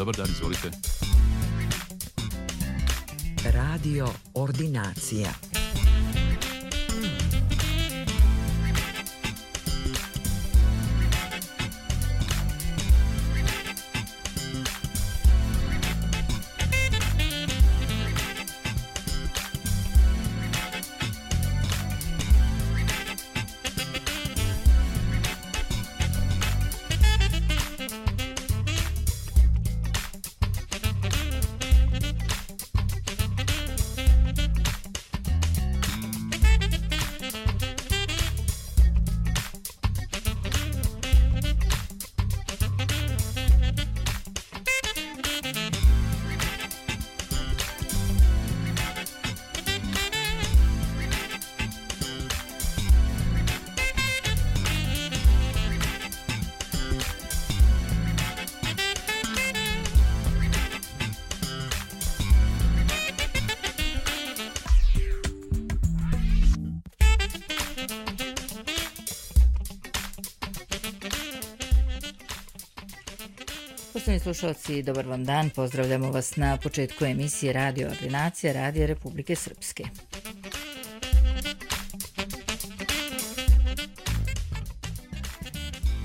Dobar dan, izvolite. Radio Ordinacija. Poštovani slušalci, dobar vam dan. Pozdravljamo vas na početku emisije Radio Ordinacija Radija Republike Srpske.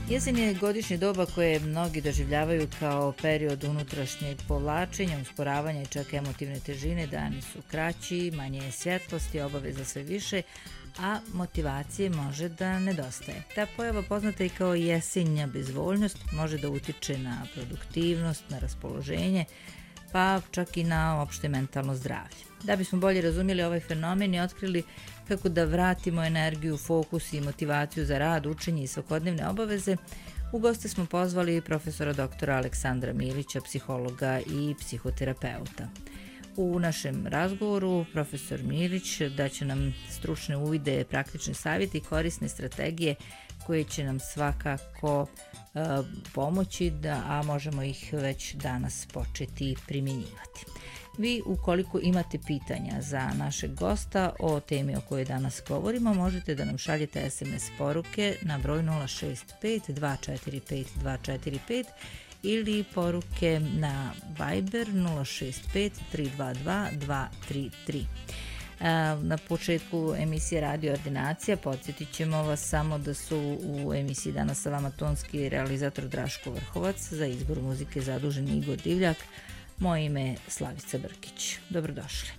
Jesen je godišnje doba koje mnogi doživljavaju kao period unutrašnjeg povlačenja, usporavanja i čak emotivne težine. Dani su kraći, manje je svjetlosti, obaveza sve više, a motivacije može da nedostaje. Ta pojava, poznata i kao jesenja bezvoljnost, može da utiče na produktivnost, na raspoloženje, pa čak i na opšte mentalno zdravlje. Da bismo bolje razumjeli ovaj fenomen i otkrili kako da vratimo energiju, fokus i motivaciju za rad, učenje i svakodnevne obaveze, u goste smo pozvali profesora doktora Aleksandra Milića, psihologa i psihoterapeuta. U našem razgovoru profesor Milić daće nam stručne uvide, praktične savjete i korisne strategije koje će nam svakako pomoći, a možemo ih već danas početi primjenjivati. Vi, ukoliko imate pitanja za našeg gosta o temi o kojoj danas govorimo, možete da nam šaljete SMS poruke na broj 065 245 245 ili poruke na Viber 065 322 233. Na početku emisije Radio Ordinacija podsjetit ćemo vas samo da su u emisiji danas sa vama tonski realizator Draško Vrhovac, za izbor muzike zadužen Igor Divljak. Moje ime je Slavica Brkić. Dobrodošli.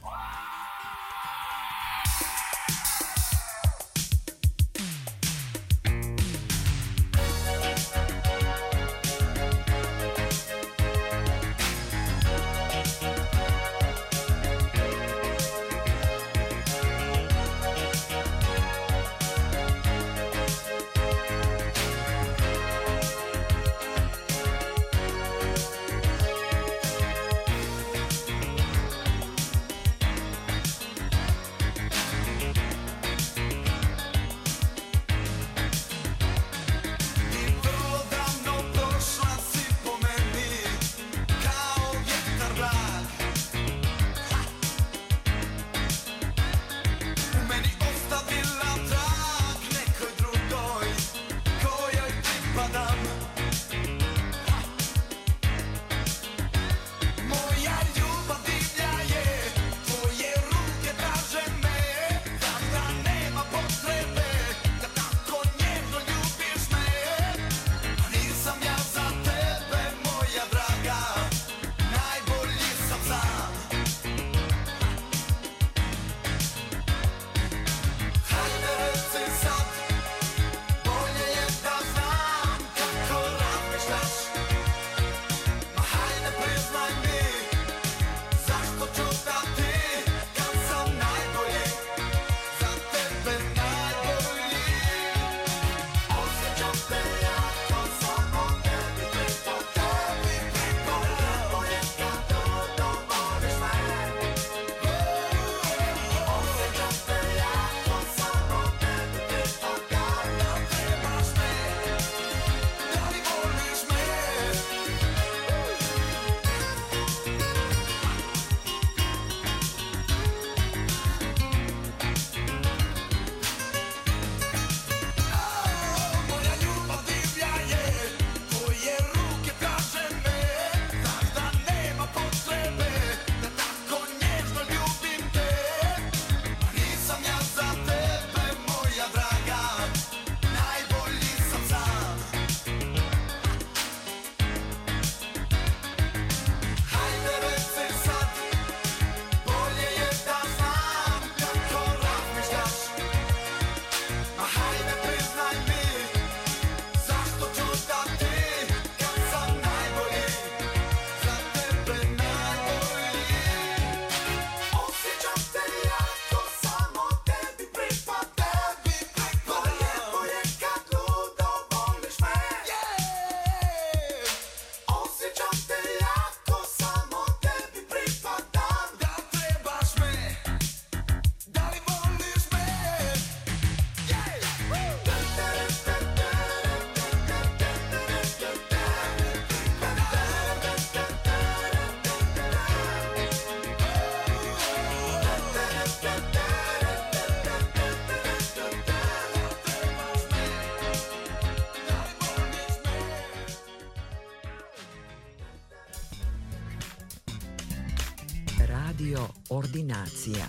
ordinacija.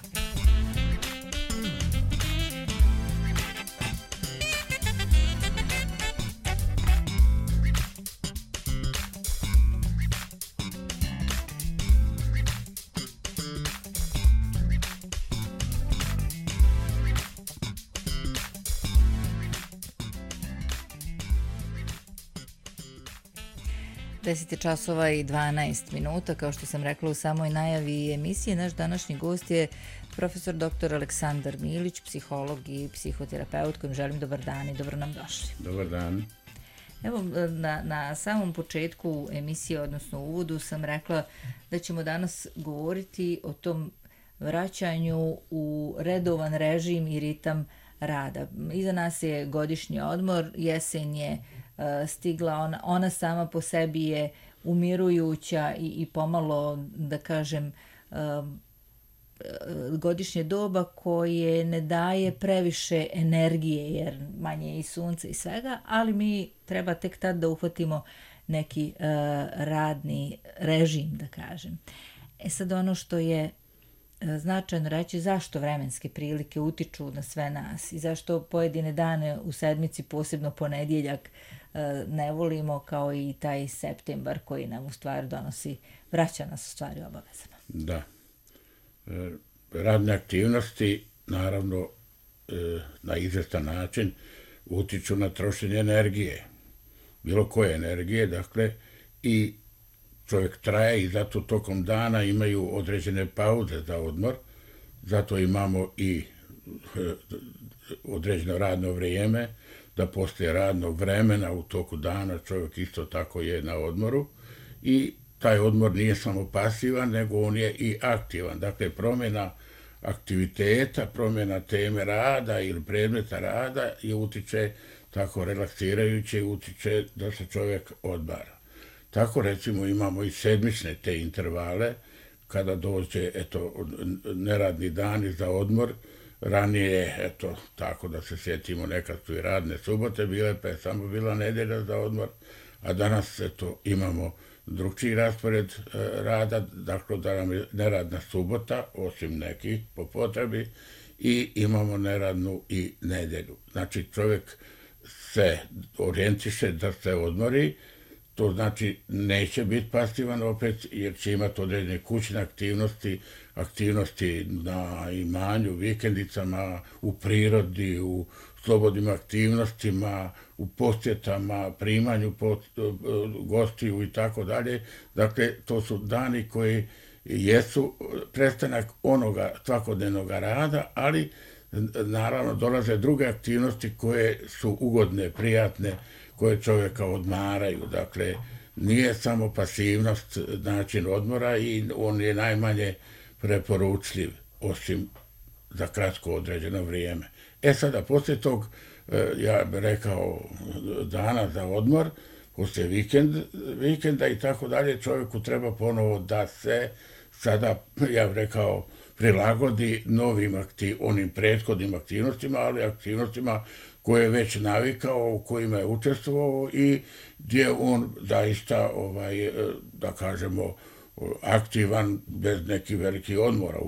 Časova i 12 minuta, kao što sam rekla u samoj najavi emisije, naš današnji gost je profesor dr. Aleksandar Milić, psiholog i psihoterapeut, kojim želim dobar dan i dobro nam došli. Dobar dan. Evo, na samom početku emisije, odnosno uvodu, sam rekla da ćemo danas govoriti o tom vraćanju u redovan režim i ritam rada. Iza nas je godišnji odmor, jesen je stigla, ona sama po sebi je umirujuća i pomalo, da kažem, godišnje doba koje ne daje previše energije, jer manje je i sunca i svega, ali mi treba tek tad da uhvatimo neki radni režim, da kažem. Sad ono što je značajno reći, zašto vremenske prilike utiču na sve nas i zašto pojedine dane u sedmici, posebno ponedjeljak, ne volimo, kao i taj septembar koji nam u stvari donosi, vraća nas u stvari obavezama. Da. Radne aktivnosti, naravno, na izvestan način utiču na trošenje energije. Bilo koje energije, dakle, i čovjek traje i zato tokom dana imaju određene pauze za odmor, zato imamo i određeno radno vrijeme, da poslije radnog vremena u toku dana čovjek isto tako je na odmoru i taj odmor nije samo pasivan, nego on je i aktivan. Dakle, promjena aktiviteta, promjena teme rada ili predmeta rada je utiče tako relaksirajuće, utiče da se čovjek odmara. Tako recimo imamo i sedmične te intervale, kada dođe neradni dani za odmor. Ranije, tako da se sjetimo, nekad su i radne subote bile, pa je samo bila nedjelja za odmor, a danas, imamo drugčiji raspored rada, dakle da nam je neradna subota, osim nekih po potrebi, i imamo neradnu i nedjelju. Znači, čovjek se orijentiše da se odmori, to znači neće biti pasivan opet, jer će imati određene kućne aktivnosti na imanju, vikendicama, u prirodi, u slobodnim aktivnostima, u posjetama, primanju gostiju i tako dalje. Dakle, to su dani koji jesu prestanak onoga svakodnevnog rada, ali naravno dolaze druge aktivnosti koje su ugodne, prijatne, koje čovjeka odmaraju. Dakle, nije samo pasivnost način odmora i on je najmanje preporučljiv, osim za kratko određeno vrijeme. Sada, poslije tog, ja bih rekao, dana za odmor, poslije vikenda i tako dalje, čovjeku treba ponovo da se sada, ja bih rekao, prilagodi onim prethodnim aktivnostima, ali aktivnostima koje je već navikao, u kojima je učestvovao i gdje on zaista, da kažemo, aktivan bez nekih velikih odmora.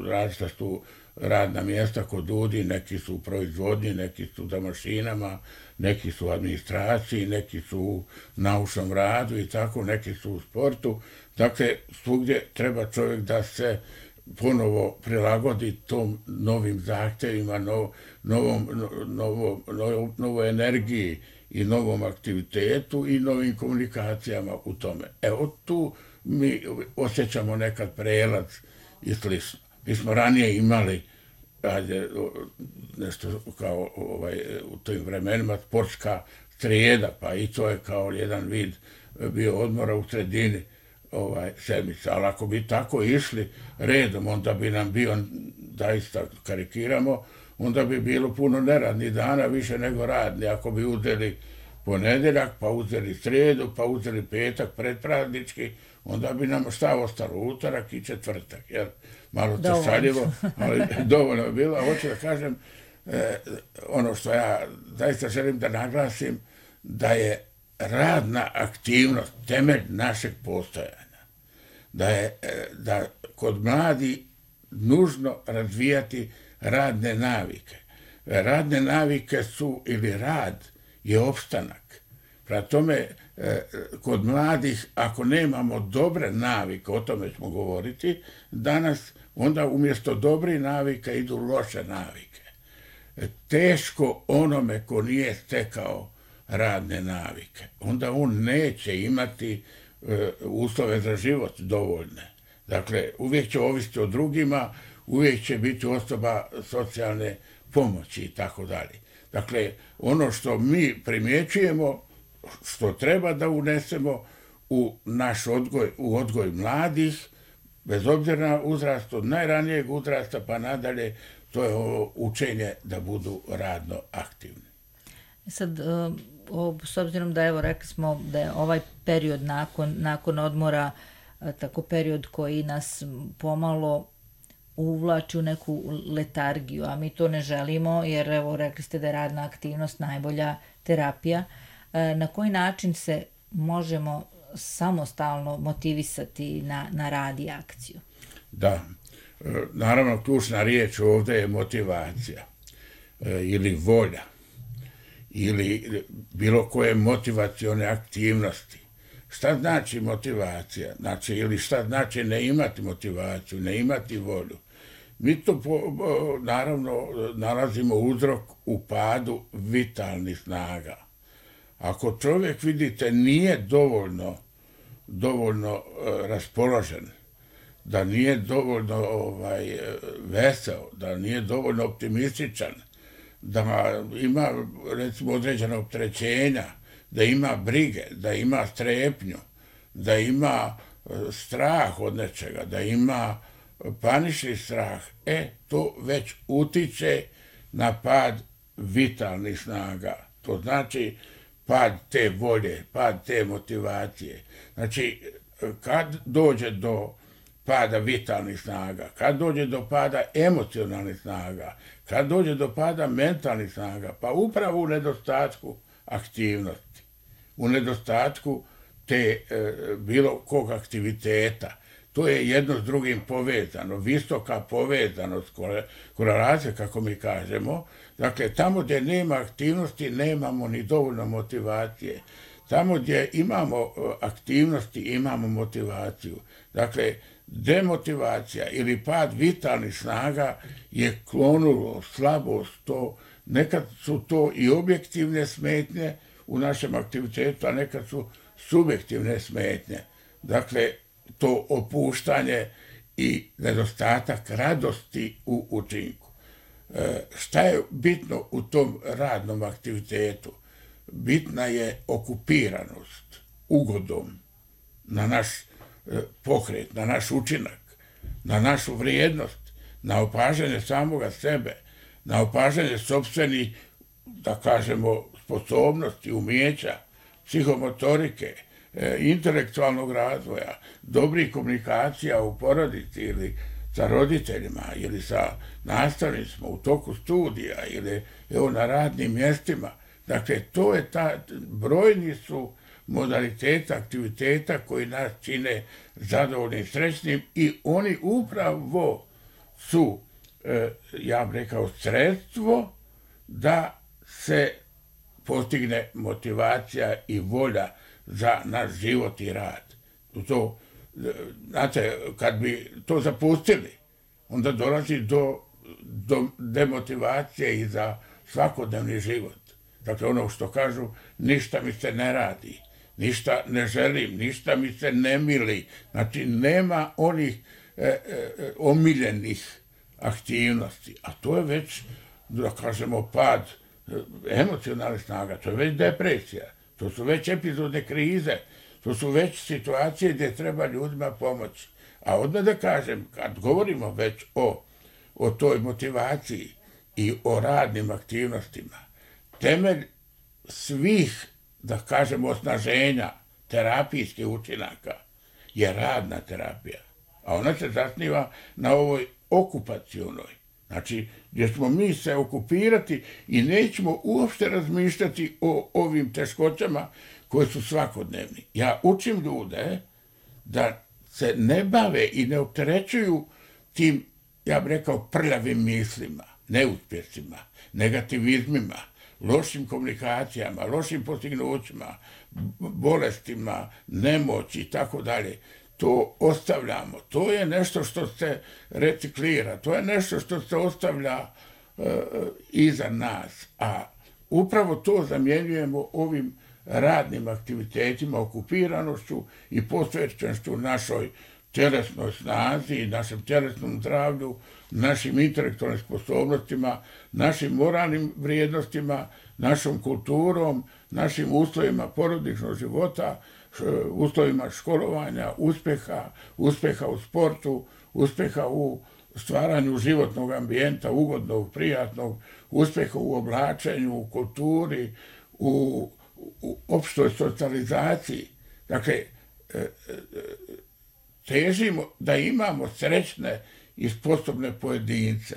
Različita su radna mjesta kod ljudi, neki su u proizvodnji, neki su za mašinama, neki su u administraciji, neki su u naučnom radu i tako, neki su u sportu. Dakle, svugdje treba čovjek da se ponovo prilagodi tom novim zahtjevima, novoj energiji i novom aktivitetu i novim komunikacijama u tome. Evo tu mi osjećamo nekad prelaz i slično. Mi smo ranije imali nešto kao u tim vremenima sportska srijeda, pa i to je kao jedan vid bio odmora u sredini sedmice. Ali ako bi tako išli redom, onda bi nam bio, zaista karikiramo, onda bi bilo puno neradnih dana, više nego radni. Ako bi uzeli ponedjeljak, pa uzeli srijedu, pa uzeli petak predpraznički, onda bi nam šta ostalo, utorak i četvrtak. Jer malo to šaljivo, ali dovoljno je bilo. A hoću da kažem, ono što ja zaista želim da naglasim, da je radna aktivnost temelj našeg postojanja. Da kod mladi nužno razvijati radne navike. Radne navike su, ili rad je opstanak. Prema tome, kod mladih, ako nemamo dobre navike, o tome ćemo govoriti danas, onda umjesto dobrih navika idu loše navike. Teško onome ko nije stekao radne navike. Onda on neće imati uslove za život dovoljne. Dakle, uvijek će ovisiti o drugima, uvijek će biti osoba socijalne pomoći i tako dalje. Dakle, ono što mi primjećujemo, što treba da unesemo u naš odgoj, u odgoj mladih, bez obzira na uzrast, od najranijeg uzrasta pa nadalje, to je ovo učenje da budu radno aktivni. Sad, s obzirom da, evo, rekli smo da je ovaj period nakon odmora tako period koji nas pomalo uvlači u neku letargiju, a mi to ne želimo, jer, evo, rekli ste da je radna aktivnost najbolja terapija. Na koji način se možemo samostalno motivisati na rad i akciju? Da, naravno, ključna riječ ovdje je motivacija ili volja ili bilo koje motivacione aktivnosti. Šta znači motivacija? Znači, ili šta znači ne imati motivaciju, ne imati volju? Mi to naravno nalazimo uzrok u padu vitalnih snaga. Ako čovjek, vidite, nije dovoljno raspoložen, da nije dovoljno veseo, da nije dovoljno optimističan, da ima, recimo, određena opterećenja, da ima brige, da ima strepnju, da ima strah od nečega, da ima panični strah, to već utiče na pad vitalnih snaga. To znači pad te volje, pad te motivacije. Znači, kad dođe do pada vitalnih snaga, kad dođe do pada emocionalnih snaga, kad dođe do pada mentalnih snaga, pa upravo u nedostatku aktivnosti, u nedostatku te bilo kog aktiviteta. To je jedno s drugim povezano, visoka povezanost, korelacija, kako mi kažemo. Dakle, tamo gdje nema aktivnosti, nemamo ni dovoljno motivacije. Tamo gdje imamo aktivnosti, imamo motivaciju. Dakle, demotivacija ili pad vitalnih snaga je klonulo, slabost, to nekad su to i objektivne smetnje u našem aktivitetu, a nekad su subjektivne smetnje. Dakle, to opuštanje i nedostatak radosti u učinku. Šta je bitno u tom radnom aktivitetu? Bitna je okupiranost ugodom na naš pokret, na naš učinak, na našu vrijednost, na opažanje samoga sebe, na opažanje sopstvenih, da kažemo, sposobnosti, umijeća, psihomotorike, intelektualnog razvoja, dobrih komunikacija u porodici ili sa roditeljima ili sa nastavnicima u toku studija ili na radnim mjestima. Dakle, to je brojni su modaliteta, aktiviteta koji nas čine zadovoljnim, srećnim i oni upravo su, ja bih rekao, sredstvo da se postigne motivacija i volja za naš život i rad. Znate, kad bi to zapustili, onda dolazi do demotivacije i za svakodnevni život. Dakle, ono što kažu, ništa mi se ne radi, ništa ne želim, ništa mi se ne mili. Znači, nema onih omiljenih aktivnosti. A to je već, da kažemo, pad emocionalnih snaga, to je već depresija, to su već epizodne krize, to su već situacije gdje treba ljudima pomoći. A odmah da kažem, kad govorimo već o toj motivaciji i o radnim aktivnostima, temelj svih, da kažemo, osnaženja terapijskih učinaka je radna terapija. A ona se zasniva na ovoj okupacionoj. Znači, gdje ćemo mi se okupirati i nećemo uopšte razmišljati o ovim teškoćama koje su svakodnevni. Ja učim ljude da se ne bave i ne opterećuju tim ja bih rekao, prljavim mislima, neuspjesima, negativizmima, lošim komunikacijama, lošim postignućima, bolestima, nemoći i tako dalje. To ostavljamo. To je nešto što se reciklira. To je nešto što se ostavlja iza nas. A upravo to zamjenjujemo ovim radnim aktivitetima, okupiranošću i posvećenošću našoj tjelesnoj snazi, našem tjelesnom zdravlju, našim intelektualnim sposobnostima, našim moralnim vrijednostima, našom kulturom, našim uslovima porodičnog života, uslovima školovanja, uspjeha u sportu, uspjeha u stvaranju životnog ambijenta, ugodnog, prijatnog, uspjeha u oblačenju, u kulturi, u opštoj socijalizaciji. Dakle, težimo da imamo srećne i sposobne pojedince,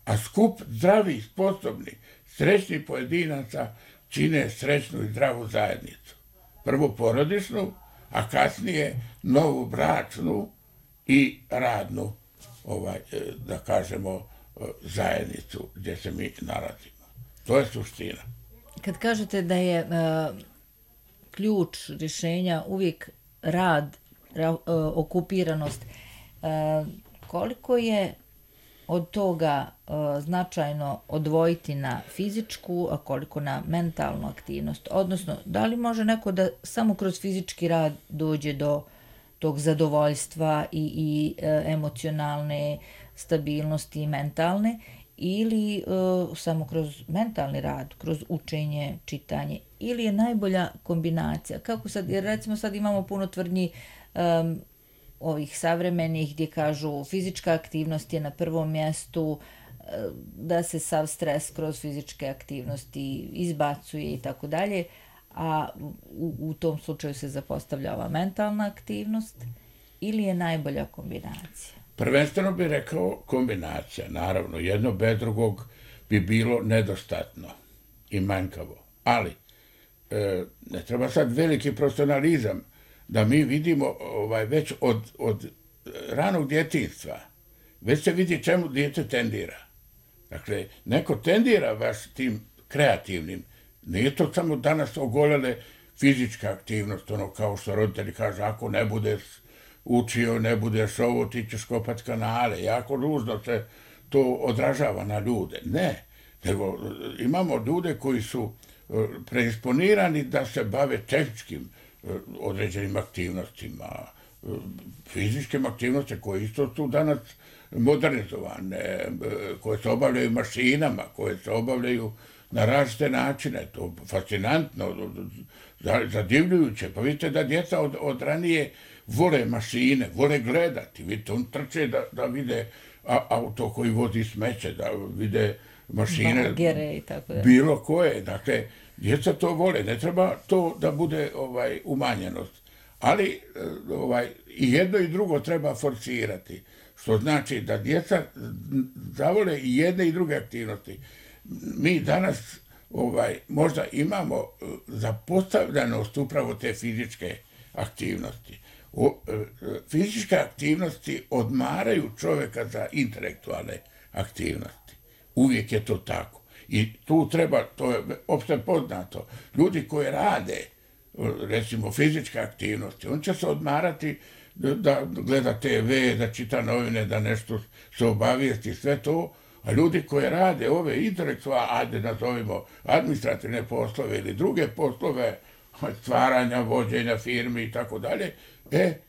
a skup zdravih, sposobnih, srećnih pojedinaca čine srećnu i zdravu zajednicu. Prvo porodičnu, a kasnije novu bračnu i radnu, da kažemo, zajednicu gdje se mi nalazimo. To je suština. Kad kažete da je ključ rješenja uvijek rad, okupiranost, koliko je od toga značajno odvojiti na fizičku, a koliko na mentalnu aktivnost? Odnosno, da li može neko da samo kroz fizički rad dođe do tog zadovoljstva i emocionalne stabilnosti i mentalne, ili samo kroz mentalni rad, kroz učenje, čitanje, ili je najbolja kombinacija? Kako sad, jer recimo sad imamo puno tvrdnji ovih savremenih gdje kažu fizička aktivnost je na prvom mjestu, da se sav stres kroz fizičke aktivnosti izbacuje i tako dalje, a u tom slučaju se zapostavlja ova mentalna aktivnost, ili je najbolja kombinacija? Prvenstveno bih rekao kombinacija, naravno, jedno bez drugog bi bilo nedostatno i manjkavo, ali ne treba sad veliki profesionalizam da mi vidimo već od ranog djetinjstva, već se vidi čemu dijete tendira. Dakle, neko tendira baš tim kreativnim, nije to samo danas ogoljale fizička aktivnost, ono kao što roditelji kažu, ako ne budeš učio, ne budeš ovo, ti ćeš kopat kanale, jako ružno se to odražava na ljude. Ne, nego imamo ljude koji su preisponirani da se bave tehničkim određenim aktivnostima, fizičkim aktivnostima koje isto su danas modernizovane, koje se obavljaju mašinama, koje se obavljaju na različite načine. To je fascinantno, zadivljujuće. Pa vidite da djeca od ranije vole mašine, vole gledati. Vidite, on trče da vide auto koji vozi smeće, da vide mašine, bagere i tako da. Bilo koje. Dakle, djeca to vole, ne treba to da bude umanjenost. Ali i jedno i drugo treba forsirati. Što znači da djeca zavole i jedne i druge aktivnosti. Mi danas možda imamo zapostavljenost upravo te fizičke aktivnosti. Fizičke aktivnosti odmaraju čovjeka za intelektualne aktivnosti. Uvijek je to tako. I tu treba, to je opšte poznato, ljudi koji rade, recimo, fizičke aktivnosti, on će se odmarati da gleda TV, da čita novine, da nešto se obavijesti, sve to, a ljudi koji rade ove intelektualne, ajde nazovimo administrativne poslove ili druge poslove, stvaranja, vođenja firmi i tako dalje,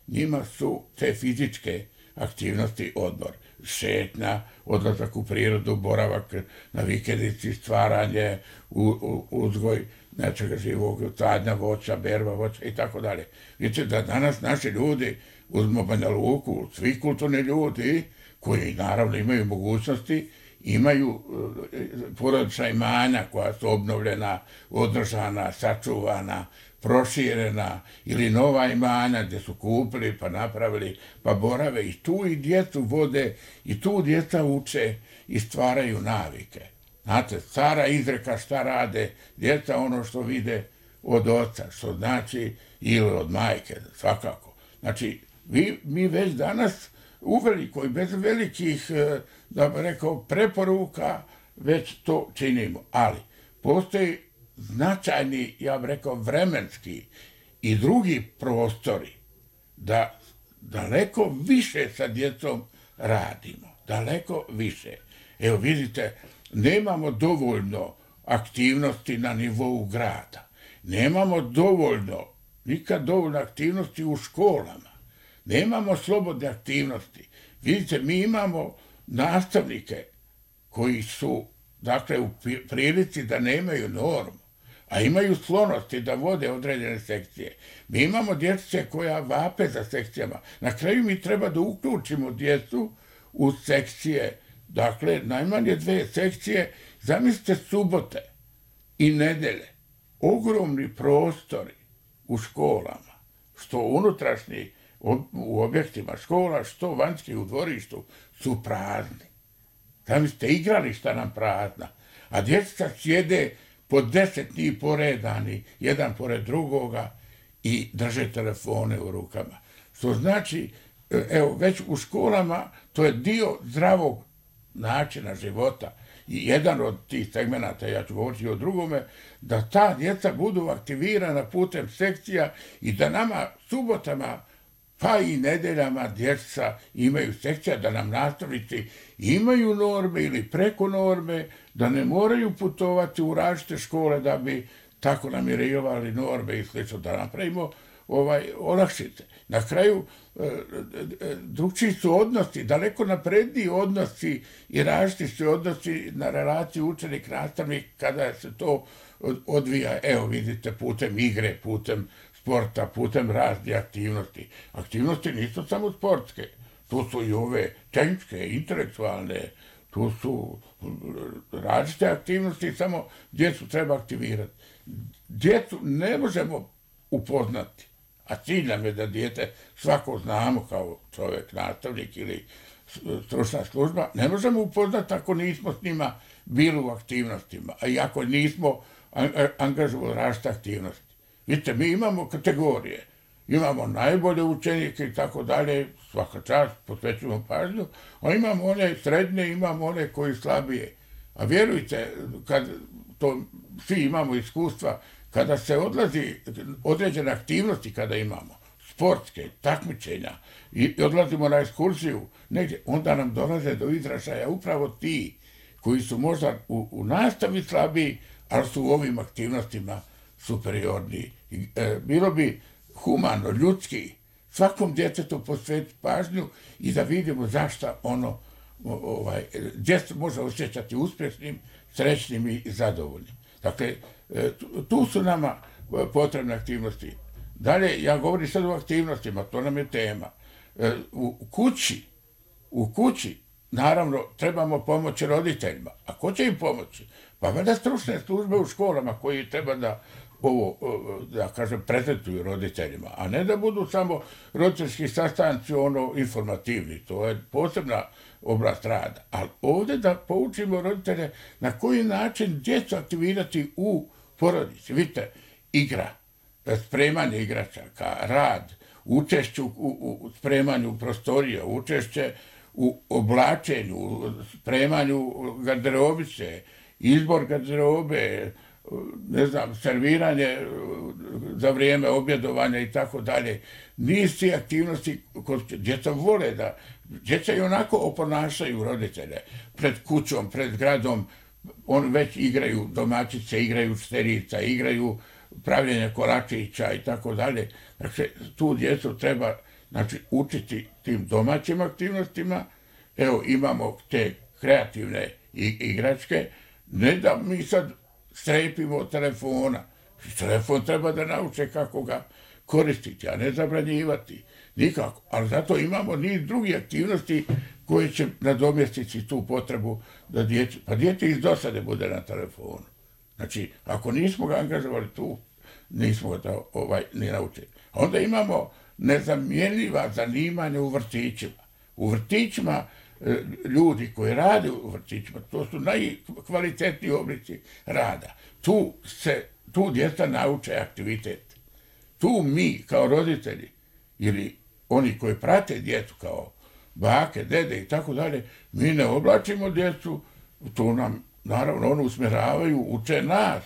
njima su te fizičke aktivnosti odmor. Šetnja, odlazak u prirodu, boravak na vikendici, stvaranje, uzgoj nečega živog, sadnja voća, berba voća i tako dalje. Vidite da danas naši ljudi, uzmo Banja Luku, svi kulturni ljudi, koji naravno imaju mogućnosti, imaju porodična imanja koja su obnovljena, održana, sačuvana, proširena, ili nova imanja gdje su kupili, pa napravili, pa borave i tu i djecu vode, i tu djeca uče i stvaraju navike. Znate, stara izreka šta rade djeca, ono što vide od oca, što znači, ili od majke, svakako. Znači, mi već danas uveliko i bez velikih, da bih rekao, preporuka, već to činimo. Ali postoji značajni, ja bih rekao, vremenski i drugi prostori da daleko više sa djecom radimo. Daleko više. Evo vidite, nemamo dovoljno aktivnosti na nivou grada. Nemamo nikad dovoljno aktivnosti u školama. Nemamo slobodne aktivnosti. Vidite, mi imamo nastavnike koji su, dakle, u prilici da nemaju normu, a imaju sklonosti da vode određene sekcije. Mi imamo djece koja vape za sekcijama. Na kraju mi treba da uključimo djecu u sekcije, dakle, najmanje 2 sekcije. Zamislite subote i nedelje, ogromni prostori u školama, što unutrašnji u objektima škola, što vanjski u dvorištu, su prazni. Zamislite, igrališta nam prazna, a djeca sjede po 10 njih poredani, jedan pored drugoga, i drže telefone u rukama. Što znači, evo, već u školama to je dio zdravog načina života. I jedan od tih segmenata, ja ću govoriti o drugome, da ta djeca budu aktivirana putem sekcija i da nama subotama pa i nedeljama djeca imaju sekcija, da nam nastavnici imaju norme ili preko norme, da ne moraju putovati u različite škole da bi tako namirivali norme i slično, da napravimo olakšice. Na kraju, drugčiji su odnosi, daleko napredniji odnosi i različiti su odnosi na relaciju učenik-nastavnik kada se to odvija, evo vidite, putem igre, putem sporta, putem raznih aktivnosti. Aktivnosti nisu samo sportske, tu su i ove tehničke, intelektualne, tu su različite aktivnosti, samo djecu treba aktivirati. Djecu ne možemo upoznati, a cilj nam je da dijete svako znamo kao čovjek, nastavnik ili stručna služba, ne možemo upoznati ako nismo s njima bili u aktivnostima, a i ako nismo angažovali različite aktivnosti. Vidite, mi imamo kategorije, imamo najbolje učenike i tako dalje, svaka čast, posvećujemo pažnju, a imamo one srednje, imamo one koji slabije. A vjerujte, kad to svi imamo iskustva, kada se odlazi određene aktivnosti, kada imamo sportske, takmičenja i odlazimo na ekskurziju negdje, onda nam dolaze do izražaja upravo ti koji su možda u nastavi slabiji, ali su u ovim aktivnostima superiorniji. Bilo bi humano, ljudski, svakom djetetu posvetiti pažnju i da vidimo zašto ono gdje se može osjećati uspješnim, srećnim i zadovoljnim. Dakle, tu su nama potrebne aktivnosti. Dalje, ja govorim sad o aktivnostima, to nam je tema. U kući, naravno, trebamo pomoći roditeljima. A ko će im pomoći? Pa valjda stručne službe u školama koji treba da prezentuju roditeljima, a ne da budu samo roditeljski sastanci informativni. To je posebna oblast rada. Ali ovdje da poučimo roditelje na koji način djecu aktivirati u porodici. Vidite, igra, spremanje igračaka, rad, učešće u spremanju prostorija, učešće u oblačenju, spremanju garderobice, izbor garderobe, serviranje za vrijeme objedovanja i tako dalje. Niz tih aktivnosti koje djeca vole da, djeca i onako oponašaju roditelje pred kućom, pred gradom, oni već igraju domaćice, igraju šterica, igraju pravljenje kolačića i tako dalje. Dakle, tu djecu treba učiti tim domaćim aktivnostima. Evo, imamo te kreativne igračke, ne da mi sad strepimo od telefona. Telefon treba da nauče kako ga koristiti, a ne zabranjivati. Nikako. Ali zato imamo niz drugih aktivnosti koje će nadomjestiti tu potrebu da dijete iz dosade bude na telefonu. Znači, ako nismo ga angažovali tu, nismo ga ni naučili. Onda imamo nezamjenjiva zanimanja u vrtićima. U vrtićima ljudi koji rade u vrtićima, to su najkvalitetniji oblici rada. Tu djeca nauče aktivitet. Tu mi kao roditelji ili oni koji prate djecu kao bake, dede i tako dalje, mi ne oblačimo djecu, to nam, naravno, ono usmjeravaju, uče nas,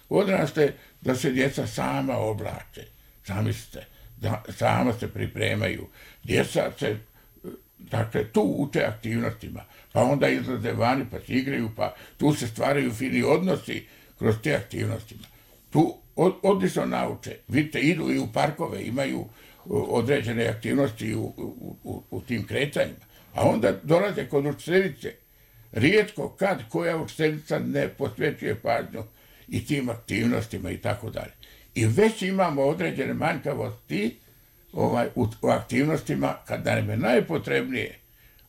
odraste, da se djeca sama oblače, zamislite, da sama se pripremaju. Djeca se, dakle, tu uče aktivnostima, pa onda izlaze vani, pa se igraju, pa tu se stvaraju fini odnosi kroz te aktivnostima. Tu odlično nauče. Vidite, idu i u parkove, imaju određene aktivnosti u tim kretanjima. A onda dolaze kod učiteljice. Rijetko kad koja učiteljica ne posvećuje pažnju i tim aktivnostima i tako dalje. I već imamo određene manjkavosti u aktivnostima kada nam je najpotrebnije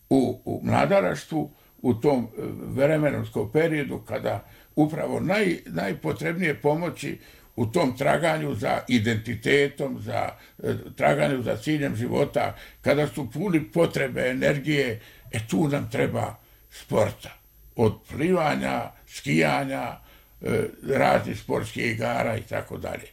u mladalaštvu, u tom vremenskom periodu kada upravo najpotrebnije pomoći u tom traganju za identitetom, za traganju za ciljem života, kada su puni potrebe, energije, tu nam treba sporta. Od plivanja, skijanja, raznih sportskih igara i tako dalje.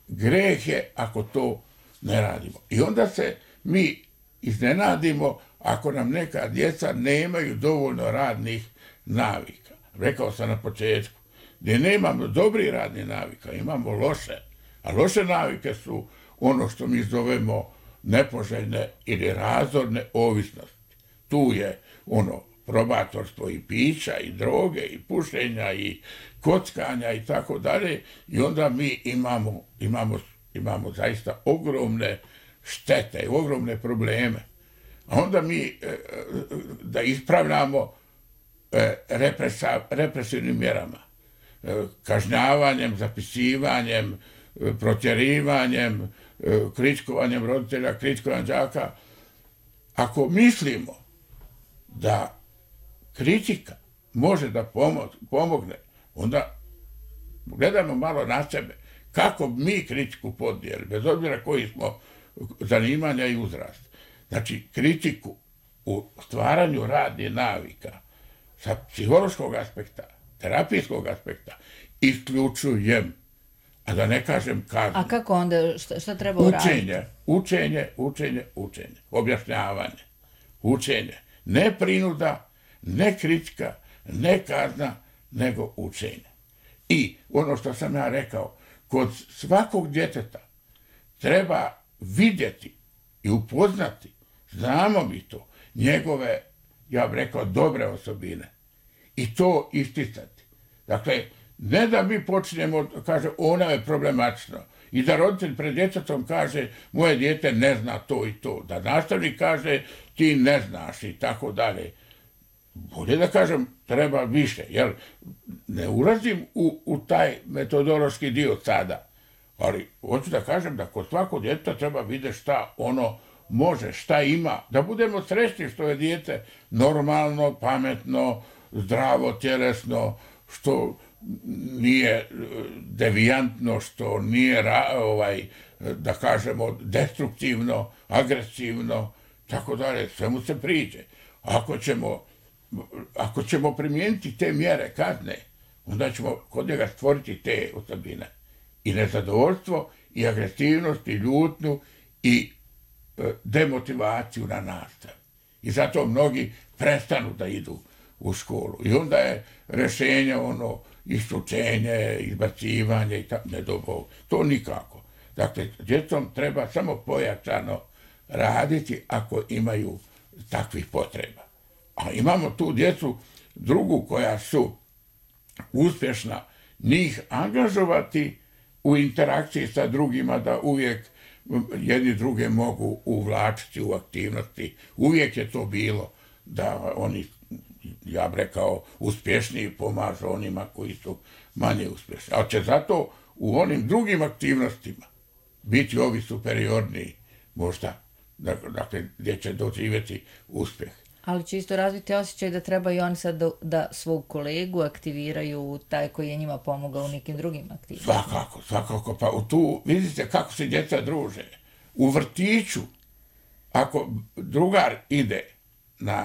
Greh je ako to ne radimo. I onda se mi iznenadimo ako nam neka djeca nemaju dovoljno radnih navika. Rekao sam na početku, gdje nemamo dobrih radnih navika, imamo loše. A loše navike su ono što mi zovemo nepoželjne ili razorne ovisnosti. Tu je ono probatorstvo i pića i droge i pušenja i kockanja i tako dalje. I onda mi imamo zaista ogromne štete, ogromne probleme. A onda mi da ispravljamo represivnim mjerama, kažnjavanjem, zapisivanjem, protjerivanjem, kričkovanjem roditelja, kričkovanjem đaka. Ako mislimo da kritika može da pomogne, onda gledamo malo na sebe. Kako mi kritiku podijeli, bez obzira koji smo zanimanja i uzrast. Znači, kritiku u stvaranju radnih navika sa psihološkog aspekta, terapijskog aspekta, isključujem. A da ne kažem kažem. A kako onda, šta treba uraditi? Učenje, objašnjavanje, učenje. Ne prinuda, ne kritika, ne kazna, nego učenje. I ono što sam ja rekao, kod svakog djeteta treba vidjeti i upoznati, znamo mi to, njegove, ja bih rekao, dobre osobine. I to isticati. Dakle, ne da mi počnemo, kaže, ona je problematično. I da roditelj pred djetetom kaže, moje dijete ne zna to i to. Da nastavnik kaže, ti ne znaš i tako dalje. Bolje da kažem, treba više. Jer ne ulazim u taj metodološki dio sada. Ali hoću da kažem da kod svakog djeteta treba vidjeti šta ono može, šta ima. Da budemo srećni što je dijete normalno, pametno, zdravo, tjelesno, što nije devijantno, što nije, da kažemo, destruktivno, agresivno, tako dalje, sve mu se priđe. Ako ćemo primijeniti te mjere kazne, onda ćemo kod njega stvoriti te osobine. I nezadovoljstvo, i agresivnost, i ljutnju, i demotivaciju na nastavu. I zato mnogi prestanu da idu u školu. I onda je rješenje isključenje, izbacivanje i tako, ne do Bog. To nikako. Dakle, djecom treba samo pojačano raditi ako imaju takvih potreba. A imamo tu djecu drugu koja su uspješna, njih angažovati u interakciji sa drugima, da uvijek jedni druge mogu uvlačiti u aktivnosti. Uvijek je to bilo da oni, ja bih rekao, uspješniji pomažu onima koji su manje uspješni. Ali će zato u onim drugim aktivnostima biti ovi superiorniji, možda, dakle, gdje će doživjeti uspjeh. Ali će isto razviti osjećaj da treba i oni sad da svog kolegu aktiviraju, taj koji je njima pomogao u nekim drugim aktivnostima. Svakako. Pa tu vidite kako se djeca druže. U vrtiću, ako drugar ide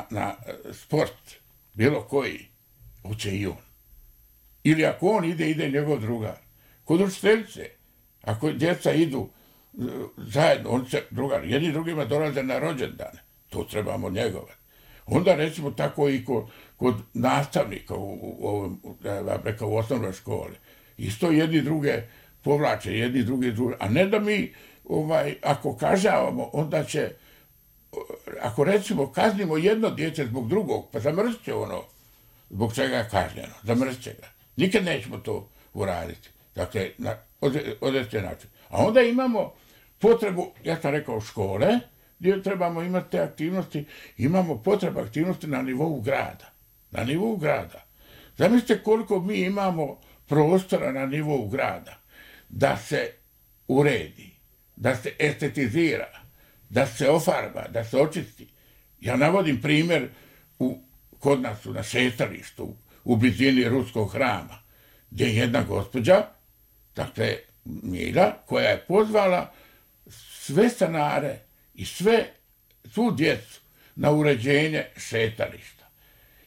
na sport, bilo koji, hoće i on. Ili ako on ide njegov drugar. Kod učiteljice, ako djeca idu zajedno, on se drugar, jedni drugima dolaze na rođendane. To trebamo njegovati. Onda recimo tako i kod nastavnika u osnovnoj školi. Isto jedni druge povlače, jedni druge, a ne da mi ako kažavamo, onda će, ako recimo kaznimo jedno dijete zbog drugog, pa zamrzt će ono zbog čega je kažnjeno, zamrzt će ga. Nikad nećemo to uraditi. Dakle, na određen način. A onda imamo potrebu, ja sam rekao, škole, gdje trebamo imati te aktivnosti, imamo potrebu aktivnosti na nivou grada. Na nivou grada. Zamislite koliko mi imamo prostora na nivou grada da se uredi, da se estetizira, da se ofarba, da se očisti. Ja navodim primjer kod nas na šetalištu, u blizini Ruskog hrama, gdje je jedna gospođa, dakle Mila, koja je pozvala sve stanare i svu djecu na uređenje šetališta.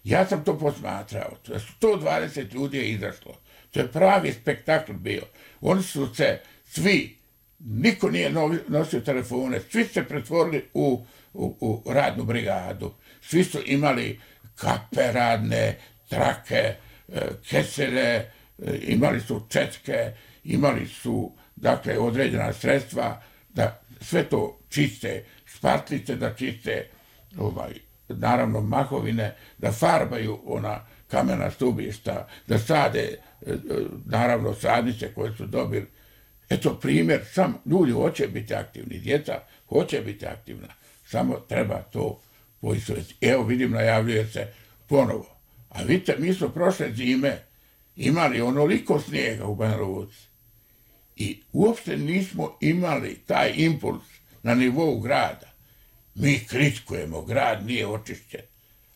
Ja sam to posmatrao. 120 ljudi je izašlo. To je pravi spektakl bio. Oni su se svi, niko nije nosio telefone, svi se pretvorili u radnu brigadu. Svi su imali kape radne, trake, kesele, imali su četke, imali su, dakle, određena sredstva da sve to čiste, špatlice da čiste, naravno mahovine, da farbaju ona kamena stubišta, da sade, naravno sadnice koje su dobili. Eto primjer, ljudi hoće biti aktivni, djeca hoće biti aktivna, samo treba to poistovjetiti. Evo vidim, najavljuje se ponovo. A vidite, mi smo prošle zime imali onoliko snijega u Banja Luci i uopšte nismo imali taj impuls na nivou grada. Mi kritikujemo, grad nije očišćen.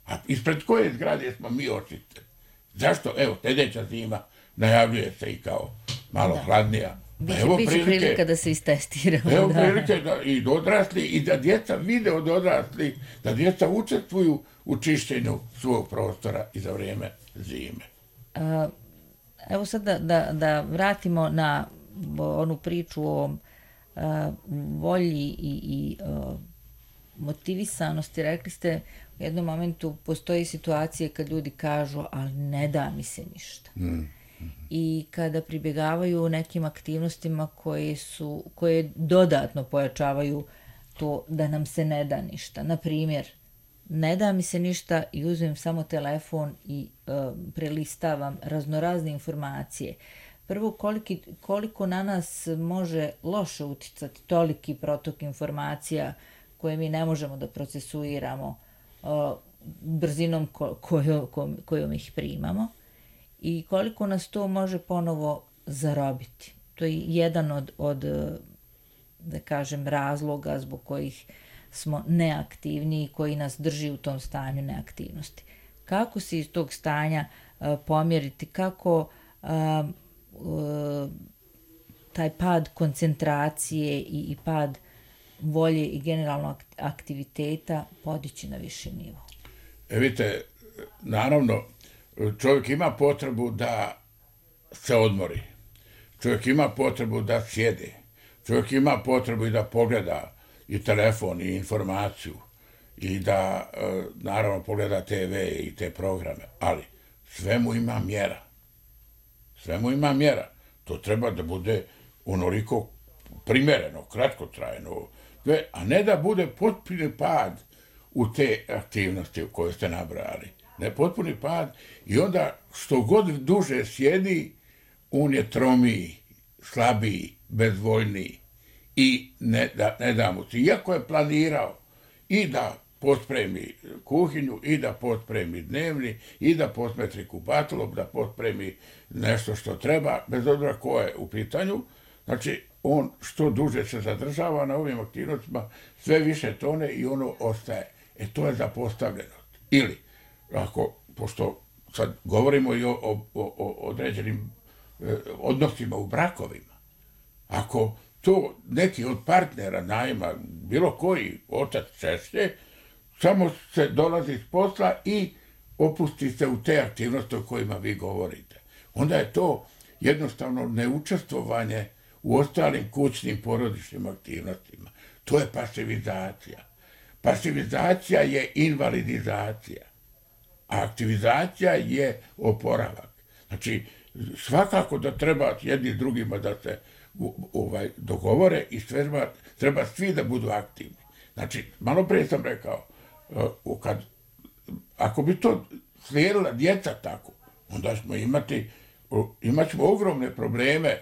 A ispred koje zgrade smo mi očišćeni? Zašto? Evo, sljedeća zima najavljuje se i kao malo hladnija. Biće prilika da se istestiramo. Evo prilike da i odrasli i da djeca vide od odrasli, da djeca učestvuju u čišćenju svog prostora i za vrijeme zime. Evo sad da vratimo na onu priču o volji i motivisanosti. Rekli ste u jednom momentu postoji situacije kad ljudi kažu ali ne da mi se ništa. I kada pribjegavaju nekim aktivnostima koje dodatno pojačavaju to da nam se ne da ništa. Na primjer, ne da mi se ništa i uzmem samo telefon i prelistavam raznorazne informacije. Prvo, koliko na nas može loše uticati toliki protok informacija koje mi ne možemo da procesuiramo brzinom kojom ih primamo i koliko nas to može ponovo zarobiti. To je jedan od da kažem, razloga zbog kojih smo neaktivni i koji nas drži u tom stanju neaktivnosti. Kako se iz tog stanja pomjeriti, kako taj pad koncentracije i pad volje i generalno aktiviteta podići na viši nivo? Vidite, naravno, čovjek ima potrebu da se odmori. Čovjek ima potrebu da sjede. Čovjek ima potrebu i da pogleda i telefon i informaciju i da, naravno, pogleda TV i te programe. Ali sve mu ima mjera. Sve mu ima mjera. To treba da bude onoliko primjereno, kratkotrajno, a ne da bude potpuni pad u te aktivnosti u koje ste nabrali. Ne, potpuni pad i onda što god duže sjedi, on je tromiji, slabiji, bezvoljniji i ne da mu se. Iako je planirao i da pospremi kuhinju, i da pospremi dnevni, i da posmetri kupatilo, da pospremi nešto što treba, bez obzira ko je u pitanju. Znači, on što duže se zadržava na ovim aktivnostima, sve više tone i ono ostaje. To je zapostavljenost. Ili, pošto sad govorimo i o određenim odnosima u brakovima, ako to neki od partnera najma, bilo koji otac češće, samo se dolazi s posla i opusti se u te aktivnosti o kojima vi govorite. Onda je to jednostavno neučestvovanje u ostalim kućnim porodičnim aktivnostima. To je pasivizacija. Pasivizacija je invalidizacija, a aktivizacija je oporavak. Znači, svakako da treba jedni drugima da se dogovore i treba svi da budu aktivni. Znači, malo prije sam rekao, ako bi to slijedila djeca tako, onda imat ćemo ogromne probleme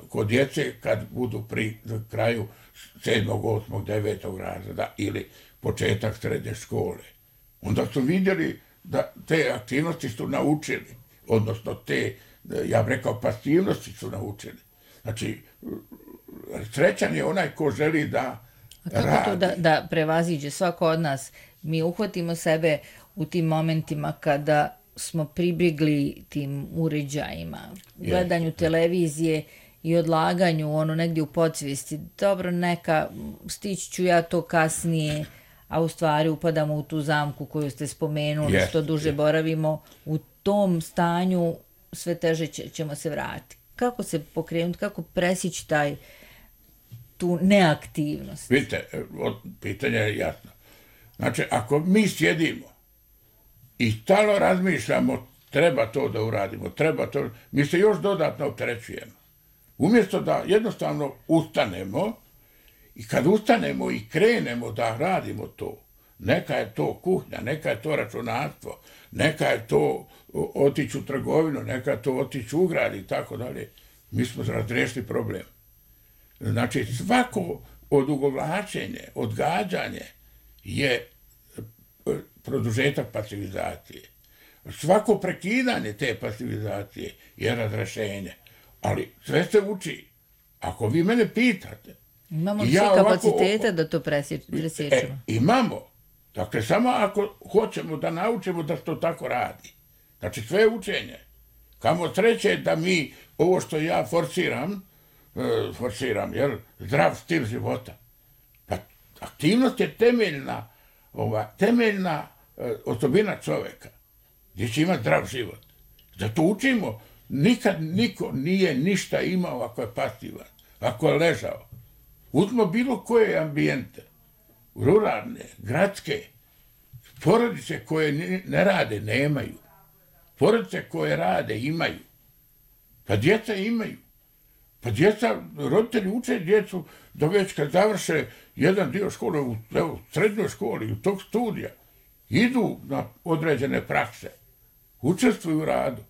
kod djece kad budu pri kraju 7., 8., 9. razreda ili početak srednje škole. Onda su vidjeli da te aktivnosti su naučili, odnosno te, ja bih rekao, pasivnosti su naučili. Znači, srećan je onaj ko želi da radi. A kako to da prevaziđe svako od nas? Mi uhvatimo sebe u tim momentima kada smo pribjegli tim uređajima, gledanju televizije i odlaganju negdje u podsvijesti. Dobro, stići ću ja to kasnije, a u stvari upadamo u tu zamku koju ste spomenuli, što duže boravimo u tom stanju, sve teže ćemo se vratiti. Kako se pokrenuti, kako presjeći tu neaktivnost? Vidite, pitanje je jasno. Znači, ako mi sjedimo i stalno razmišljamo, treba to da uradimo, mi se još dodatno opterećujemo. Umjesto da jednostavno ustanemo, i kad ustanemo i krenemo da radimo to, neka je to kuhnja, neka je to računarstvo, neka je to otići u trgovinu, neka je to otići u grad i tako dalje, mi smo razriješili problem. Znači, svako odugovlačenje, odgađanje je produžetak pasivizacije. Svako prekidanje te pasivizacije je razrešenje. Ali sve se uči. Ako vi mene pitate... Imamo svi kapacitete da to presjećemo. Imamo. Dakle, samo ako hoćemo da naučimo da to tako radi. Znači, sve je učenje. Kamo sreće da mi, ovo što ja forsiram, zdrav stil života. Pa, aktivnost je temeljna osobina čoveka, gdje će imati zdrav život. Zato učimo, nikad niko nije ništa imao ako je pasivan, ako je ležao. Uzmo bilo koje ambijente, ruralne, gradske, porodice koje ne rade, nemaju. Porodice koje rade, imaju. Pa djeca imaju. Pa roditelji uče djecu da već kad završe jedan dio škole u srednjoj školi, u tog studija, idu na određene prakse, učestvuju u radu.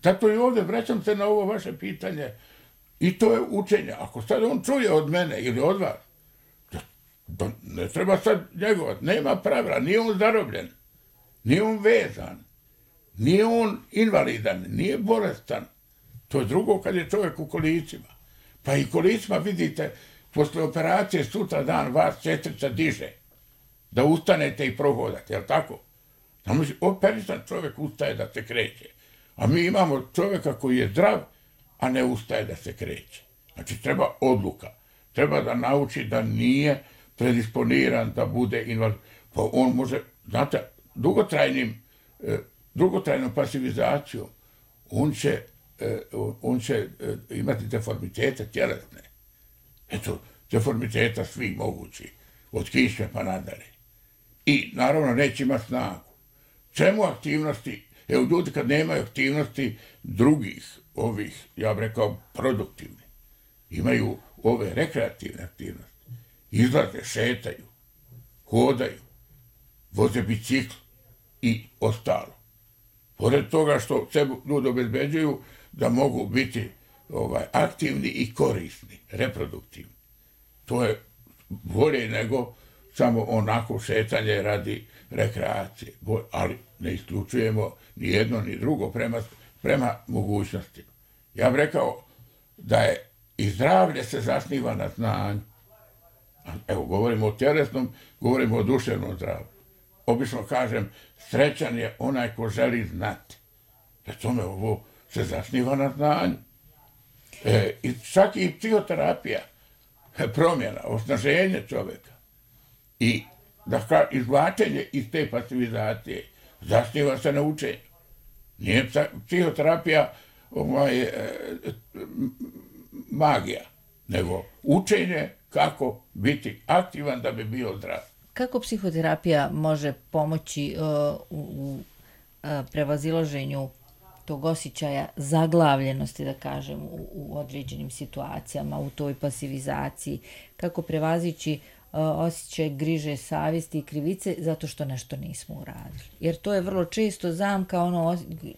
Zato i ovdje vraćam se na ovo vaše pitanje i to je učenje. Ako sad on čuje od mene ili od vas, ne treba sad njegovat, nema pravila, nije on zarobljen, nije on vezan, nije on invalidan, nije bolestan. To je drugo kad je čovjek u kolicima. Pa i kolicima, vidite, posle operacije sutra dan vas sestrica diže da ustanete i prohodate, jel tako? Operisan čovjek ustaje da se kreće. A mi imamo čovjeka koji je zdrav, a ne ustaje da se kreće. Znači, treba odluka. Treba da nauči da nije predisponiran da bude invalid. Pa on može, znate, dugotrajnom pasivizacijom on će imati deformitete tjelesne. Eto, deformiteta svi mogući, od kišme pa nadalje. I naravno neće imati snagu. Čemu aktivnosti? Evo, ljudi kad nemaju aktivnosti drugih, ja bih rekao, produktivne, imaju ove rekreativne aktivnosti. Izlaze, šetaju, hodaju, voze bicikl i ostalo. Pored toga što se ljudi obezbeđuju da mogu biti aktivni i korisni, reproduktivni. To je bolje nego samo onako šetanje radi rekreacije. Ali ne isključujemo ni jedno ni drugo prema mogućnostima. Ja bih rekao da je i zdravlje se zasniva na znanju. Evo, govorimo o tjelesnom, govorimo o duševnom zdravlju. Obično kažem, srećan je onaj ko želi znati. Za tome ovo se zasniva na znanju. I čak i psihoterapija, promjena, osnaženje čovjeka i izvlačenje iz te pasivizacije zasniva se na učenju. Nije psihoterapija magija, nego učenje kako biti aktivan da bi bio zdrav. Kako psihoterapija može pomoći u prevazilaženju tog osjećaja zaglavljenosti, da kažem, u određenim situacijama, u toj pasivizaciji? Kako prevazići osjećaj griže, savjesti i krivice zato što nešto nismo uradili? Jer to je vrlo često zamka,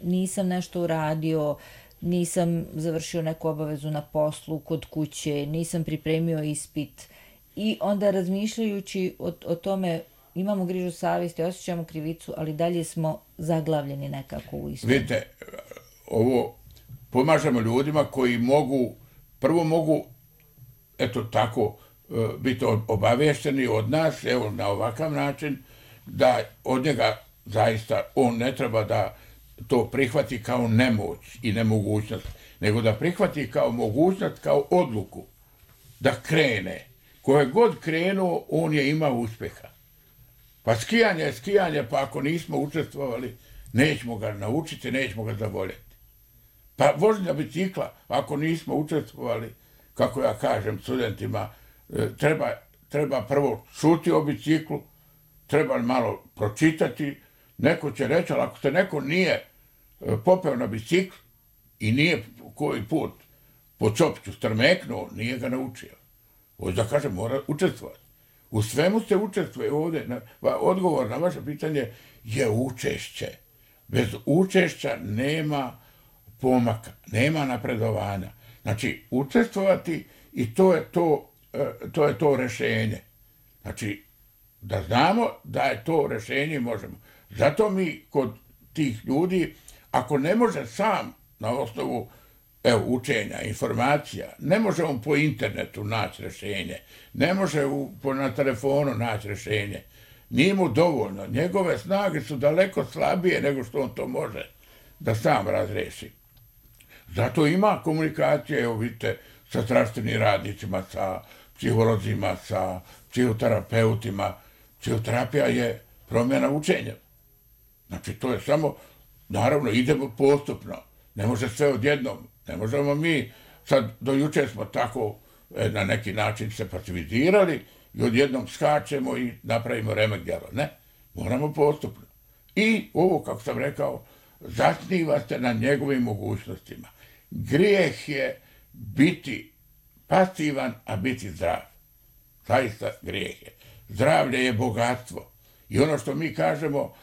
nisam nešto uradio, nisam završio neku obavezu na poslu, kod kuće, nisam pripremio ispit. I onda razmišljajući o tome, imamo grižu savjesti, osjećamo krivicu, ali dalje smo zaglavljeni nekako u istom. Vidite, ovo pomažemo ljudima koji prvo mogu, eto tako, biti obavješteni od nas, evo na ovakav način, da od njega zaista on ne treba da to prihvati kao nemoć i nemogućnost, nego da prihvati kao mogućnost, kao odluku, da krene. Koje god krenuo, on je imao uspjeha. Pa skijanje je skijanje, pa ako nismo učestvovali, nećemo ga naučiti, nećemo ga zavoljeti. Pa vožnja bicikla, ako nismo učestvovali, kako ja kažem studentima, treba prvo čuti o biciklu, treba malo pročitati, neko će reći, ali ako se neko nije popeo na bicikl i nije koji put po čopiću strmeknuo, nije ga naučio. Ovo da kažem, mora učestvovati. U svemu se učestvuje ovdje. Odgovor na vaše pitanje je učešće. Bez učešća nema pomaka, nema napredovanja. Znači, učestvovati i to je to rješenje. Znači, da znamo da je to rješenje možemo. Zato mi kod tih ljudi, ako ne može sam na osnovu učenja, informacija, ne može on po internetu naći rješenje, ne može na telefonu naći rješenje, nije mu dovoljno. Njegove snage su daleko slabije nego što on to može da sam razreši. Zato ima komunikacije, evo vidite, sa zdravstvenim radnicima, sa psiholozima, sa psihoterapeutima. Psihoterapija je promjena učenja. Znači, to je samo, naravno, idemo postupno. Ne može sve odjednom. Ne možemo mi, sad do jučer smo tako na neki način se pasivizirali i odjednom skačemo i napravimo remek djelo. Ne, moramo postupno. I ovo, kako sam rekao, zasniva se na njegovim mogućnostima. Grijeh je biti pasivan, a biti zdrav. Zaista grijeh je. Zdravlje je bogatstvo. I ono što mi kažemo,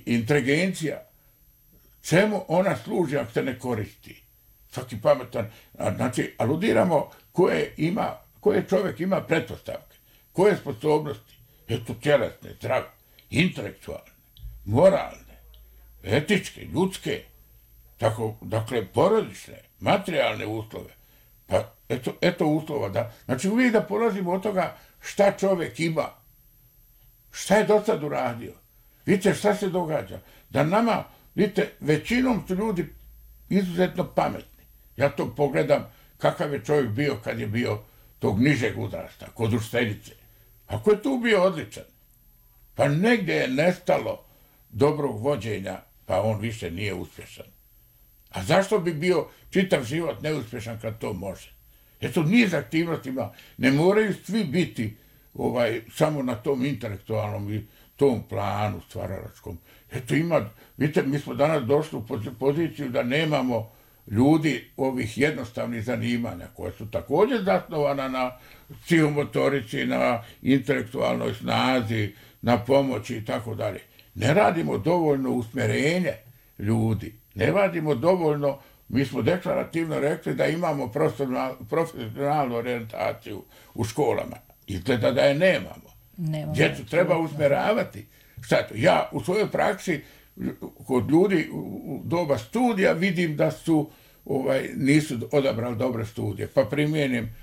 inteligencija, čemu ona služi ako se ne koristi? Svaki pametan, znači, aludiramo koje čovjek ima pretpostavke, koje sposobnosti, eto tjelesne, zdrave, intelektualne, moralne, etičke, ljudske, tako, dakle, porodične, materijalne uslove. Pa eto uslova da, znači uvijek da polazimo od toga šta čovjek ima, šta je do sad uradio. Vidite šta se događa, da nama, vidite, većinom su ljudi izuzetno pametni. Ja to pogledam kakav je čovjek bio kad je bio tog nižeg uzrasta, kod učiteljice. Ako je tu bio odličan, pa negdje je nestalo dobrog vođenja, pa on više nije uspješan. A zašto bi bio čitav život neuspješan kad to može? Eto, niz aktivnostima, ne moraju svi biti samo na tom intelektualnom i tom planu stvaralačkom. Eto vidite, mi smo danas došli u poziciju da nemamo ljudi ovih jednostavnih zanimanja koja su također zasnovana na psihomotorici, na intelektualnoj snazi, na pomoći i tako dalje. Ne radimo dovoljno usmjerenje ljudi, ne radimo dovoljno, mi smo deklarativno rekli da imamo profesionalnu orijentaciju u školama. Izgleda da je nemamo. Djecu treba usmjeravati. Šta je to? Ja u svojoj praksi kod ljudi u doba studija vidim da nisu odabrali dobre studije, pa primijenim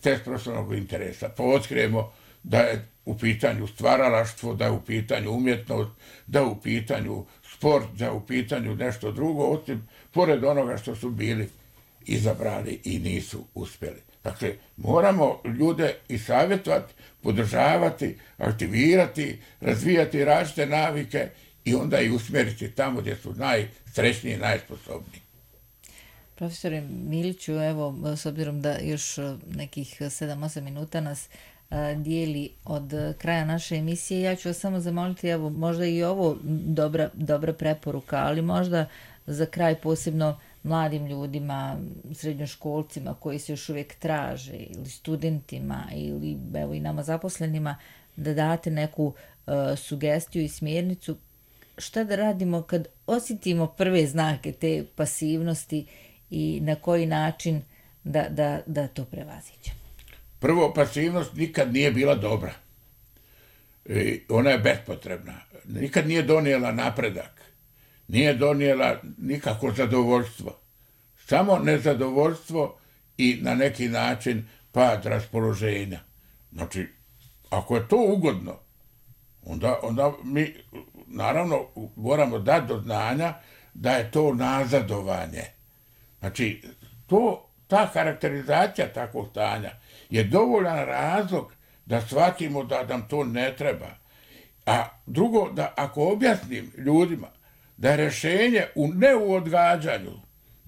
test profesionalnog interesa, pa otkrijemo da je u pitanju stvaralaštvo, da je u pitanju umjetnost, da je u pitanju sport, da je u pitanju nešto drugo, osim pored onoga što su bili izabrali i nisu uspjeli. Dakle, moramo ljude i savjetovati, podržavati, aktivirati, razvijati različite navike i onda i usmjeriti tamo gdje su najsrećniji i najsposobniji. Profesore Miliću, evo, s obzirom da još nekih 7-8 minuta nas dijeli od kraja naše emisije. Ja ću vas samo zamoliti, evo, možda i ovo dobra preporuka, ali možda za kraj posebno mladim ljudima, srednjoškolcima koji se još uvijek traže, ili studentima, ili evo i nama zaposlenima, da date neku sugestiju i smjernicu šta da radimo kad osjetimo prve znake te pasivnosti i na koji način da to prevaziđemo. Prvo, pasivnost nikad nije bila dobra. Ona je bespotrebna. Nikad nije donijela napredak. Nije donijela nikako zadovoljstvo. Samo nezadovoljstvo i na neki način pad raspoloženja. Znači, ako je to ugodno, onda mi naravno moramo dati do znanja da je to nazadovanje. Znači, ta karakterizacija takvog stanja je dovoljan razlog da shvatimo da nam to ne treba. A drugo, da ako objasnim ljudima da je rješenje ne u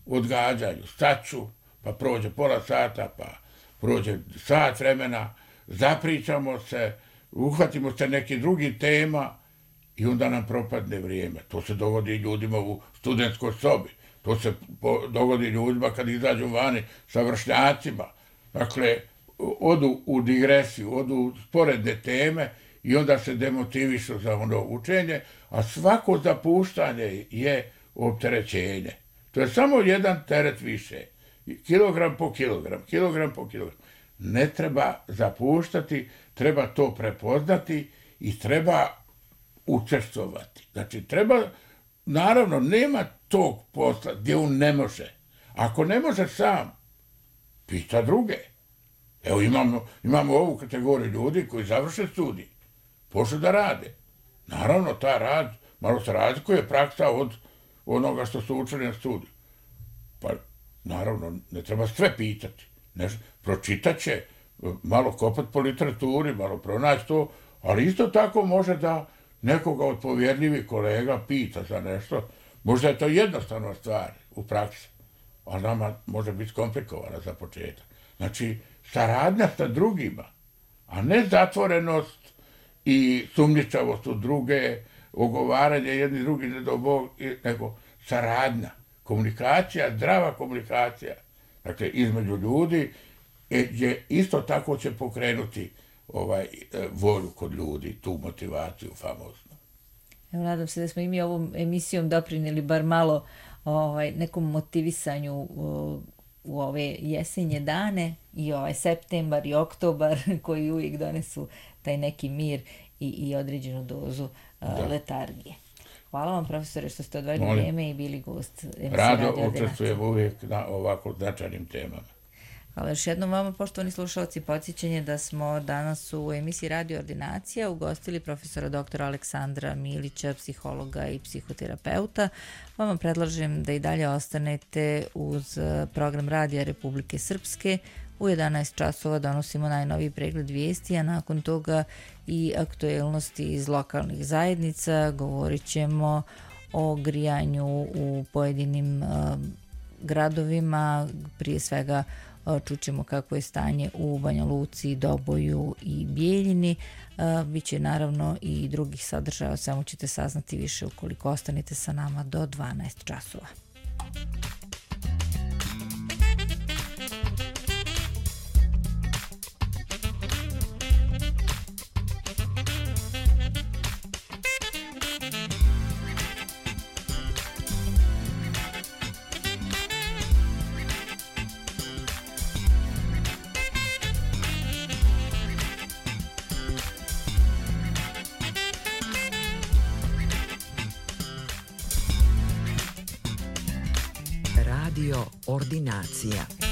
odgađanju, stat ću, pa prođe pola sata, pa prođe sat vremena, zapričamo se, uhvatimo se nekih drugih tema i onda nam propadne vrijeme. To se dogodi ljudima u studentskoj sobi, to se dogodi ljudima kad izađu vani sa vršnjacima. Dakle, odu u digresiju, odu u sporedne teme i onda se demotivišu za ono učenje, a svako zapuštanje je opterećenje. To je samo jedan teret više. Kilogram po kilogram. Ne treba zapuštati, treba to prepoznati i treba učestvovati. Znači, naravno, nema tog posla gdje on ne može. Ako ne može sam, pita druge. Evo, imamo ovu kategoriju ljudi koji završe studij, počnu da rade. Naravno, ta rad malo se razlikuje praksa od onoga što su učili na studiju. Pa, naravno, ne treba sve pitati. Pročitat će, malo kopat po literaturi, malo pronaći to, ali isto tako može da nekoga od povjerljivih kolega pita za nešto. Možda je to jednostavna stvar u praksi, ali nama može biti komplikovana za početak. Znači, saradnja sa drugima, a ne zatvorenost i sumnjičavost u druge, ogovaranje jedni drugi nego saradnja, komunikacija, zdrava komunikacija, dakle, između ljudi, gdje isto tako će pokrenuti volju kod ljudi, tu motivaciju famoznu. Evo, nadam se da smo i mi ovom emisijom doprinijeli bar malo nekom motivisanju u ove jesenje dane i septembar i oktobar koji uvijek donesu taj neki mir i određenu dozu letargije. Hvala vam, profesore, što ste odvojili vrijeme i bili gost emisije Radio Ordinacija. Rado učestvujem uvijek na ovako značajnim temama. Hvala još jednom vama, poštovani slušalci, podsjećanje da smo danas u emisiji Radio Ordinacija ugostili profesora doktora Aleksandra Milića, psihologa i psihoterapeuta. Vama predlažem da i dalje ostanete uz program Radija Republike Srpske. U 11 časova donosimo najnoviji pregled vijesti, a nakon toga i aktuelnosti iz lokalnih zajednica. Govorit ćemo o grijanju u pojedinim gradovima, prije svega čućemo kako je stanje u Banja Luci, Doboju i Bijeljini. Biće naravno i drugih sadržaja, o svemu ćete saznati više ukoliko ostanete sa nama do 12 časova. Radio Ordinacija.